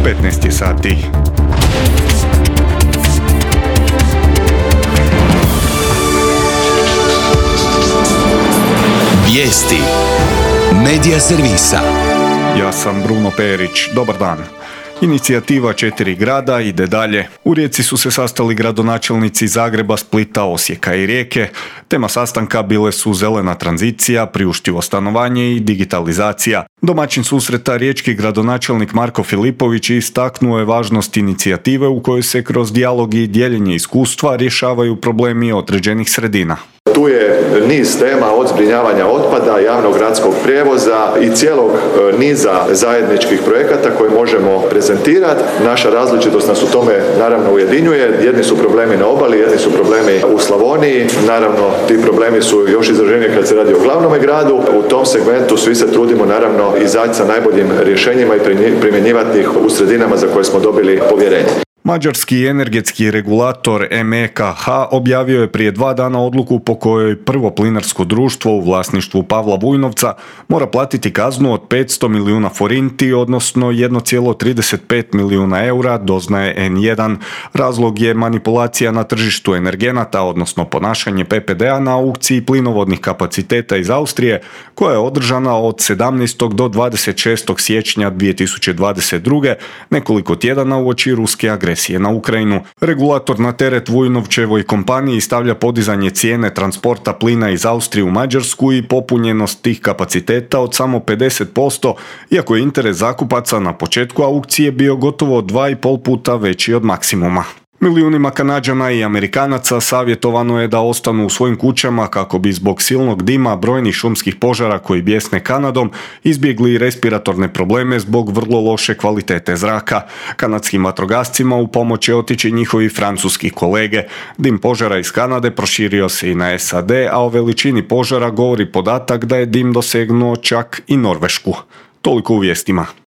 15 je sati. Vijesti Medija servisa. Ja sam Bruno Perić. Dobar dan. Inicijativa 4 grada ide dalje. U Rijeci su se sastali gradonačelnici Zagreba, Splita, Osijeka i Rijeke. Tema sastanka bile su zelena tranzicija, priuštivo stanovanje i digitalizacija. Domaćin susreta, riječki gradonačelnik Marko Filipović, istaknuo je važnost inicijative u kojoj se kroz dijalog i dijeljenje iskustva rješavaju problemi određenih sredina. Tu je niz tema od zbrinjavanja otpada, javnog gradskog prijevoza i cijelog niza zajedničkih projekata koje možemo prezentirati. Naša različitost nas u tome naravno ujedinjuje. Jedni su problemi na obali, jedni su problemi u Slavoniji. Naravno, ti problemi su još izraženiji kad se radi o glavnome gradu. U tom segmentu svi se trudimo naravno izaći sa najboljim rješenjima i primjenjivati ih u sredinama za koje smo dobili povjerenje. Mađarski energetski regulator MEKH objavio je prije 2 dana odluku po kojoj prvo plinarsko društvo u vlasništvu Pavla Vujnovca mora platiti kaznu od 500 milijuna forinti, odnosno 1,35 milijuna eura, doznaje N1. Razlog je manipulacija na tržištu energenata, odnosno ponašanje PPD-a na aukciji plinovodnih kapaciteta iz Austrije, koja je održana od 17. do 26. siječnja 2022. nekoliko tjedana uoči ruske agresije na Ukrajinu. Regulator na teret Vujnovčevoj kompaniji stavlja podizanje cijene transporta plina iz Austrije u Mađarsku i popunjenost tih kapaciteta od samo 50%, iako je interes zakupaca na početku aukcije bio gotovo 2,5 puta veći od maksimuma. Milijunima Kanađana i Amerikanaca savjetovano je da ostanu u svojim kućama kako bi zbog silnog dima, brojnih šumskih požara koji bijesne Kanadom izbjegli respiratorne probleme zbog vrlo loše kvalitete zraka. Kanadskim vatrogascima u pomoć će otići njihovi francuski kolege. Dim požara iz Kanade proširio se i na SAD, a o veličini požara govori podatak da je dim dosegnuo čak i Norvešku. Toliko u vijestima.